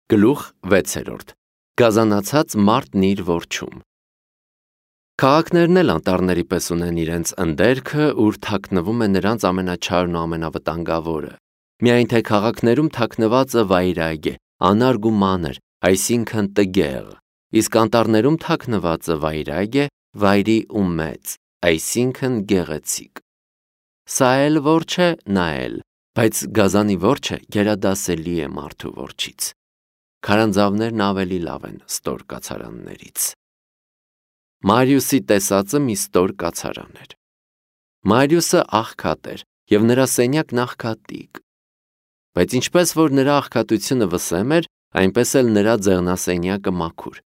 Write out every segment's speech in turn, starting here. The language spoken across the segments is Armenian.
Գլուխ 6. Գազանացած մարդն իր որջում։ Քաղաքներն էլ անտառների պես ունեն իրենց ընդերքը, ուր թաքնվում է նրանց ամենաչարն ու ամենավտանգավորը։ Միայն թե քաղաքներում թաքնվածը վայրագ է, անարգ ու մանր, այսինքն տգեղ, իսկ անտառներում թաքնվածը վայրագ է, վայրի ու մեծ, այսինքն գեղեցիկ։ Սա էլ որջ է, նա էլ, բայց գազանի որջը գերադասելի է մարդու որջից։ Քարանձավներն ավելի լավ են ստոր կացարաններից։ Մարիուսի տեսածը մի ստոր կացարան էր։ Մարիուսը աղքատ էր, և նրա սենյակն աղքատիկ։ Բայց ինչպես որ նրա աղքատությունը վսեմ էր, այնպես էլ նրա ձեղնասենյակը մաքուր։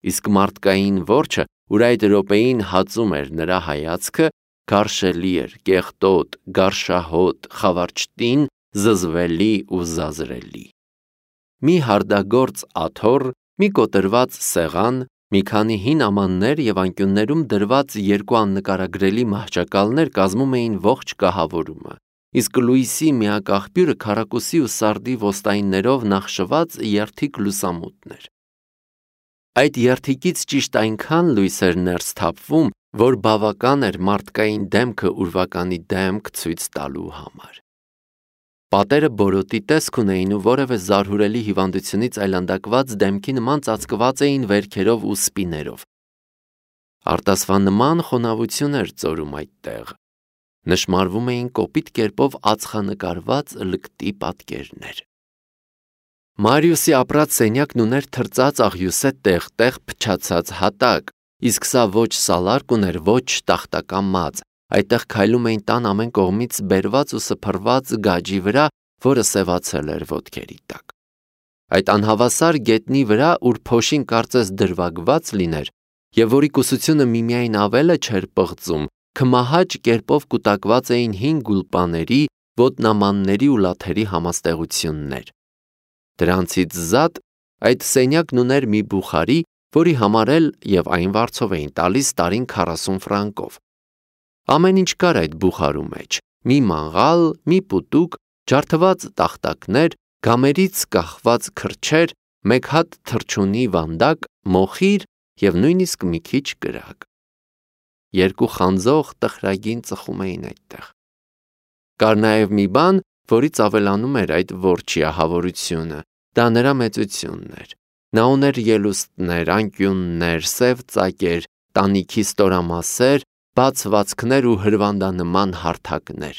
Իսկ մարդկային որջը, ուր այդ րոպեին հածում էր նրա հայացքը, գարշելի էր, կեղտոտ, գարշահոտ, խավարճտին, զզվելի ու զազրելի։ Մի հարդագործ աթոռ, մի կոտրված սեղան, մի քանի հին ամաններ և անկյուններում դրված երկու աննկարագրելի մահճակալներ կազմում էին ողջ կահավորումը, իսկ լույսի միակ աղբյուրը քառակուսի ու սարդի ոստայիններով նախշված երդիկ լուսամուտն էր։ Այդ երդիկից ճիշտ այնքան լույս էր ներս թափվում, որ բավական էր մարդկային դեմքը ուրվականի դեմք ցույց տալու համար։ Պատերը բորոտի տեսք ունեին ու որևէ զարհուրելի հիվանդությունից այլանդակված դեմքի նման ծածկված էին վերքերով ու սպիներով։ Արտասվանման խոնավություն էր ծորում այդտեղ։ Նշմարվում էին կոպիտ կերպով ածխանկարված լկտի պատկերներ։ Մարիուսի ապրած սենյակն ուներ թրծած աղյուսե տեղ-տեղ փչացած հատակ, իսկ սա ոչ սալարկ ուներ, ոչ տախտակամած, այդտեղ քայլում էին տան ամեն կողմից բերված ու սփռված գաջի վրա, որը սևացել էր ոտքերի տակ։ Այդ անհավասար գետնի վրա, ուր փոշին կարծես դրվագված լիներ, և որի կուսությունը միմիայն ավելը չէր պղծում, քմահաճ կերպով կուտակված էին հին գուլպաների, ոտնամանների ու լաթերի համաստեղություններ։ Դրանցից զատ այդ սենյակն ուներ մի բուխարի, որի համար էլ և այն վարձով էին տալիս տարին 40 ֆրանկով։ Ամեն ինչ կար այդ բուխարու մեջ՝ մի մանգալ, մի պուտուկ, ջարդված տախտակներ, գամերից կախված քրչեր, մեկ հատ թռչունի վանդակ, մոխիր և նույնիսկ մի քիչ կրակ։ Երկու խանձող տխրագին ծխում էին այդտեղ։ Կար նաև մի բան, որից ավելանում էր այդ որջի ահավորությունը, դա նրա մեծությունն էր։ Նա ուներ ելուստներ, անկյուններ, սև ծակեր, տանիքի ստորամասեր, բաց վազքներ ու հրվանդանման հարթակներ։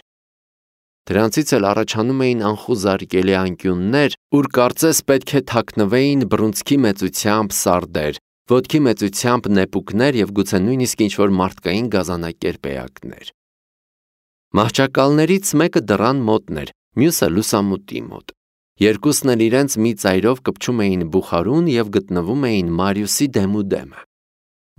Դրանցից էլ առաջանում էին անխուզարկելի անկյուններ, ուր կարծես պետք է թաքնվեին բռունցքի մեծությամբ սարդեր, ոտքի մեծությամբ նեպուկներ և գուցե նույնիսկ ինչ-որ մարդկային գազանակերպ էակներ։ Մահճակալներից մեկը դռան մոտն էր, մյուսը լուսամուտի մոտ։ Երկուսն էլ իրենց մի ծայրով կպչում էին բուխարուն և գտնվում էին Մարիուսի դեմուդեմը։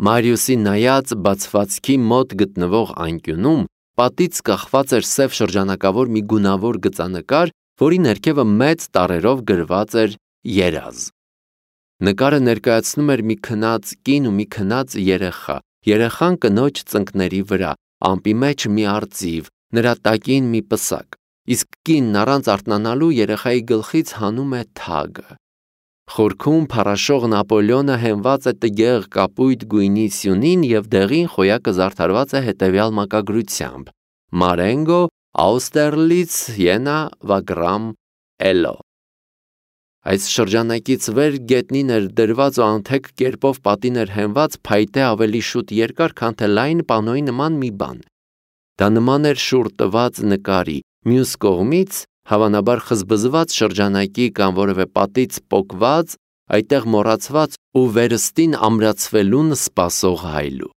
Մարիուսի նայած բացվածքի մոտ գտնվող անկյունում պատից կախված էր սև շրջանակավոր մի գունավոր գծանկար, որի ներքևը մեծ տառերով գրված էր «Երազ»։ Նկարը ներկայացնում էր մի քնած կին ու մի քնած երեխա, երեխան կնոջ ծնկների վրա, ամպի մեջ մի արծիվ, նրա տակին մի պսակ, իսկ կինն առանց արթնանալու երեխայի գլխից հանում է թագը։ Խորքում փառաշող Նապոլեոնը հենված է տգեղ կապույտ գույնի սյունին և դեղին խոյակը զարդարված է հետևյալ մակագրությամբ. Marengo, Austerlitz, Siena, Wagram, Elo։ Այս շրջանակից վեր գետնին էր դրված ու անթեք կերպով պատին էր հենված փայտե ավելի շուտ երկար, քան թե լայն պանոյի նման մի բան։ Դա նման էր շուռ տված նկարի, մյուս կողմից, հավանաբար խզբզված շրջանակի կամ որևէ պատից պոկված, այդտեղ մոռացված ու վերստին ամրացվելուն սպասող հայլու։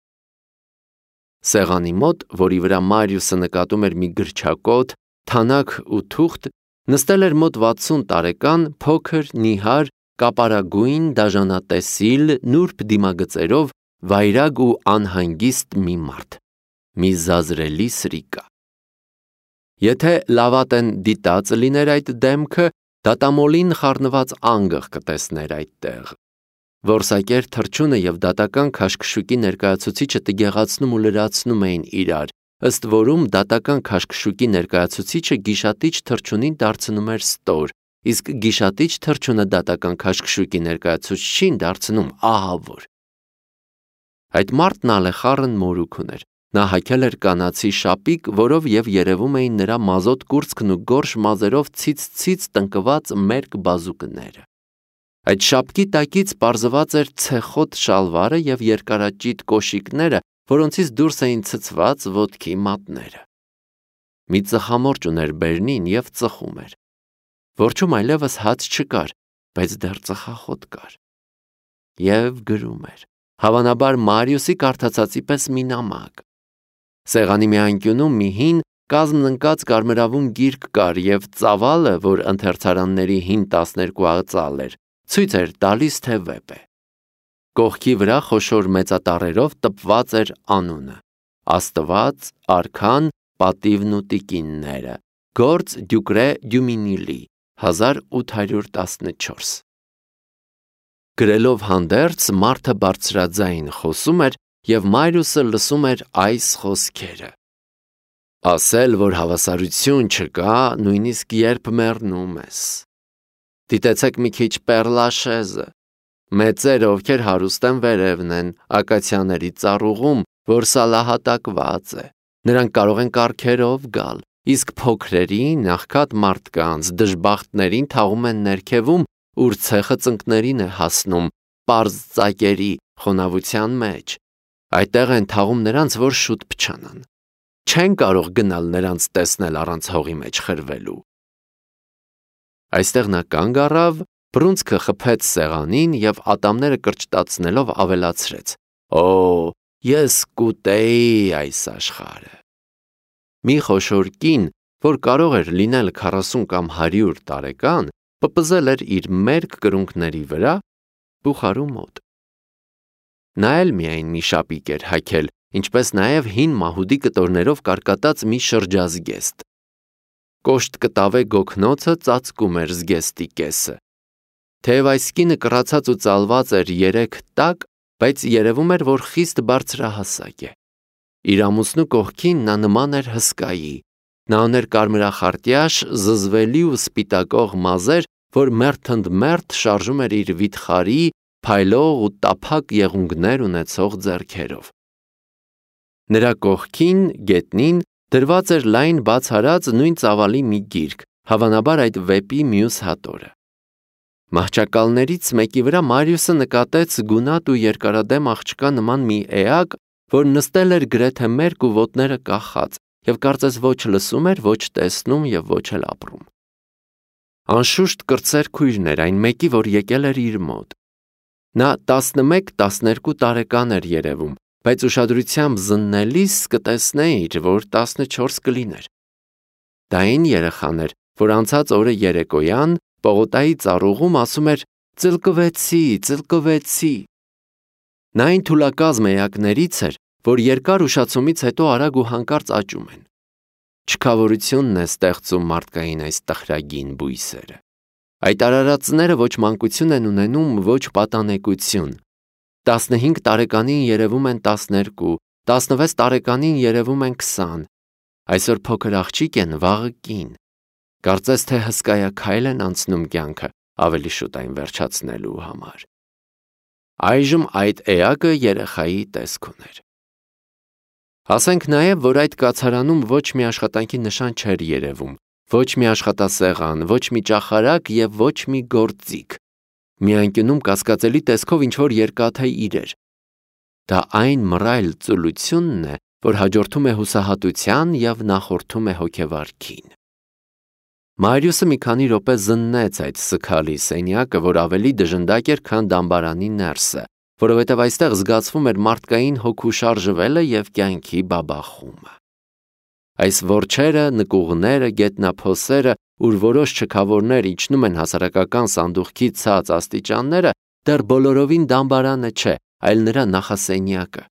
Սեղանի մոտ, որի վրա Մարիուսը նկատում էր մի գրչակոթ, թանաք ու թուղթ, նստել էր մոտ 60 տարեկան, փոքր, նիհար, կապարագույն, դաժանատեսիլ, նուրբ դիմագծերով, վայրագ ու անհանգիստ մի մարդ, մի զազրելի սրիկա։ Եթե լավատեն դիտած լիներ այդ դեմքը, դատամոլին խառնված անգղ կտեսներ այդտեղ։ Որսակեր թռչունը և դատական քաշքշուկի ներկայացուցիչը տգեղացնում ու լրացնում էին իրար, ըստ որում դատական քաշքշուկի ներկայացուցիչը գիշատիչ թռչունին դարձնում էր ստոր, իսկ գիշատիչ թռչունը դատական քաշքշուկի ներկայացուցչին դարձնում ահավոր։ Այդ մարդն ալեխառն մորուք ուներ։ Նա հագել էր կանացի շապիկ, որով եւ երևում էին նրա մազոտ կուրծքն ու գորշ մազերով ցից տնկված մերկ բազուկները։ Այդ շապկի տակից պարզված էր ցեխոտ շալվարը եւ երկարաճիտ կոշիկները, որոնցից դուրս էին ցցված ոտքի մատները։ Մի ծխամորճ ուներ բերնին եւ ծխում էր։ Որջում այլևս հաց չկար, բայց դեռ ծխախոտ կար։ Եվ գրում էր, հավանաբար Մարիուսի կարդացածի պես մի նամակ։ Սեղանի մի անկյունում մի հին կազմն ընկած կարմրավուն գիրք կար եւ ծավալը, որ ընթերցարանների հին 12 ծալ էր, ցույց էր տալիս, թե վեպ է։ Կողքի վրա խոշոր մեծատառերով տպված էր անունը. Աստված, արքան, պատիվն ու տիկինները, գործ Դյուկրե Դյումինիլի, 1814։ Գրելով հանդերձ մարդը բարձրաձայն խոսում էր եւ Մարիուսը լսում էր այս խոսքերը. ասել, որ հավասարություն չկա, նույնիսկ երբ մեռնում ես։ Դիտեցեք մի քիչ Պերլաշեզը։ Մեծերը, ովքեր հարուստ են վերևն են, ակացիաների ծառուղում, որ սալահատակված է։ Նրանք կարող են կառքերով գալ, իսկ փոքրերին, աղքատ մարդկանց, դժբախտներին թաղում են ներքևում, ուր ցեխը ծնկներին է հասնում, պարզ ծակերի խոնավության մեջ։ Այդտեղ են թաղում նրանց, որ շուտ փչանան։ Չեն կարող գնալ նրանց տեսնել առանց հողի մեջ խրվելու։ Այստեղ նա կանգ առավ, բռունցքը խփեց սեղանին եւ ատամները կրճտացնելով ավելացրեց. Օ, ես կուտեի այս աշխարհը։ Մի խոշոր կին, որ կարող էր լինել 40 կամ 100 տարեկան, պպզել էր իր մերկ կրունկների վրա բուխարու մոտ։ Նա էլ միայն մի շապիկ էր հագել, ինչպես նաև հին մահուդի կտորներով կարկատած մի շրջազգեստ։ Կոշտ կտավե գոգնոցը ծածկում էր զգեստի կեսը։ Թեև այս կինը կռացած ու ծալված էր 3 տակ, բայց երևում էր, որ խիստ բարձրահասակ է։ Իր ամուսնու կողքին նա նման էր հսկայի։ Նա ուներ կարմրախարտյաշ, զզվելի ու սպիտակող մազեր, որ մերթ շարժում էր իր վիթխարի, փայլող ու տափակ եղունգներ ունեցող ձեռքերով։ Նրա կողքին, գետնին, դրված էր լայն բաց հարած նույն ծավալի մի գիրք, հավանաբար այդ վեպի մյուս հատորը։ Մահճակալներից մեկի վրա Մարիուսը նկատեց գունատ ու երկարադեմ աղջկա նման մի էակ, որ նստել էր գրեթե մերկ ու ոտները կախած, եւ կարծես ոչ լսում էր, ոչ տեսնում եւ ոչ էլ ապրում։ Անշուշտ կրտսեր քույրն էր այն մեկի, որ եկել էր իր մոտ։ Նա 11-12 տարեկան էր երևում, բայց ուշադրությամբ զննելիս կտեսնեիր, որ 14 կլիներ։ Դա այն երեխան էր, որ անցած օրը երեկոյան Պողոտայի ծառուղում ասում էր ծլկվեցի։ Նա այն թուլակազմ էակներից էր, որ երկար ուշացումից հետո արագ ու հանկարծ աճում են։ Չքավորությունն է ստեղծում մարդկային այս տխրագին բույսերը։ Այդ արարածները ոչ մանկություն են ունենում, ոչ պատանեկություն։ 15 տարեկանին երևում են 12, 16 տարեկանին երևում են 20։ Այսօր փոքր աղջիկ են, վաղը կին։ Կարծես թե հսկայաքայլ են անցնում կյանքը, ավելի շուտ այն վերջացնելու համար։ Այժմ այդ էակը երեխայի տեսք ուներ։ Ասենք նաև, որ այդ կացարանում ոչ մի աշխատանքի նշան չէր երևում, ոչ մի աշխատասեղան, ոչ մի ճախարակ եւ ոչ մի գործիք։ Մի անկյունում կասկածելի տեսքով ինչ-որ երկաթե իրեր։ Դա այն մռայլ ծուլությունն է, որ հաջորդում է հուսահատության եւ նախորդում է հոգեվարքին։ Մարիուսը մի քանի րոպե զննեց այդ սքալի սենյակը, որ ավելի դժնդակ էր, քան դամբարանի ներսը, որովհետև այստեղ զգացվում էր մարդկային հոգու շարժվելը եւ կյանքի բաբախումը։ Այս որջերը, նկուղները, գետնափոսերը, ուր որոշ չքավորներ իջնում են հասարակական սանդուղքի ցած աստիճանները, դեռ բոլորովին դամբարանը չէ, այլ նրա նախասենյակը։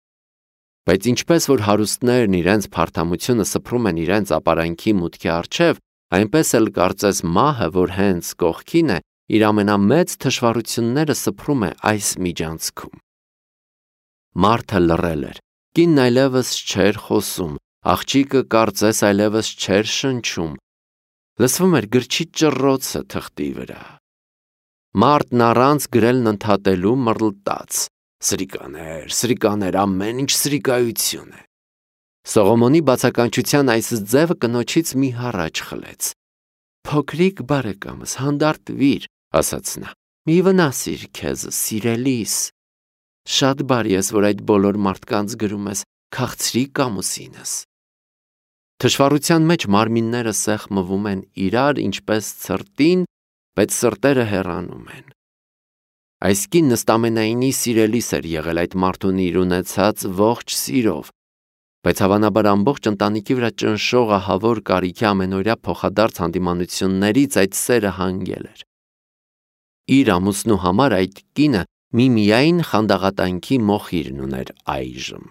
Բայց ինչպես որ հարուստներն իրենց փարթամությունը սփռում են իրենց ապարանքի մուտքի առջև, այնպես էլ կարծես մահը, որ հենց կողքին է, իր ամենամեծ թշվառությունները սփռում է այս միջանցքում։ Մարդը լռել էր, կինն այլևս չէր խոսում, աղջիկը կարծես այլևս չէր շնչում։ Լսվում էր գրչի ճռռոցը թղթի վրա։ Մարդն առանց գրելն ընդհատելու մռլտաց. Սրիկաներ, ամեն ինչ սրիկայություն է։ Սողոմոնի բացականչության այս ձևը կնոջից մի հառաչ խլեց։ Փոքրիկ բարեկամս, հանդարտվիր, ասաց նա, մի վնասիր քեզ, սիրելիս։ Շատ բարի ես, որ այդ բոլոր մարդկանց գրում ես, քաղցրիկ ամուսինս։ Թշվառության մեջ մարմինները սեղմվում են իրար, ինչպես ցրտին, բայց սրտերը հեռանում են։ Այս կինն ըստամենայնի սիրելիս էր եղել այդ մարդուն իր ունեցած ողջ սիրով, բայց հավանաբար ամբողջ ընտանիքի վրա ճնշող ահավոր կարիքի ամենօրյա փոխադարձ հանդիմանություններից այդ սերը հանգել էր։ Իր ամուսնու համար այդ կինը միմիայն խանդաղատանքի մոխիրն ուներ այժմ։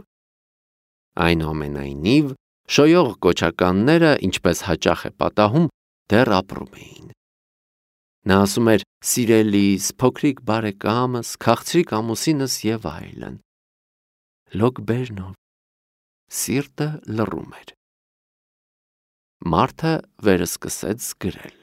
Այնուամենայնիվ, շոյող կոչականները, ինչպես հաճախ է պատահում, դեռ ապրում էին։ Նա ասում էր. սիրելիս, փոքրիկ բարեկամս, քաղցրիկ ամուսինս եւ այլն։ Լոգբերնով սիրտը լռում էր։ Մարդը վերսկսեց գրել։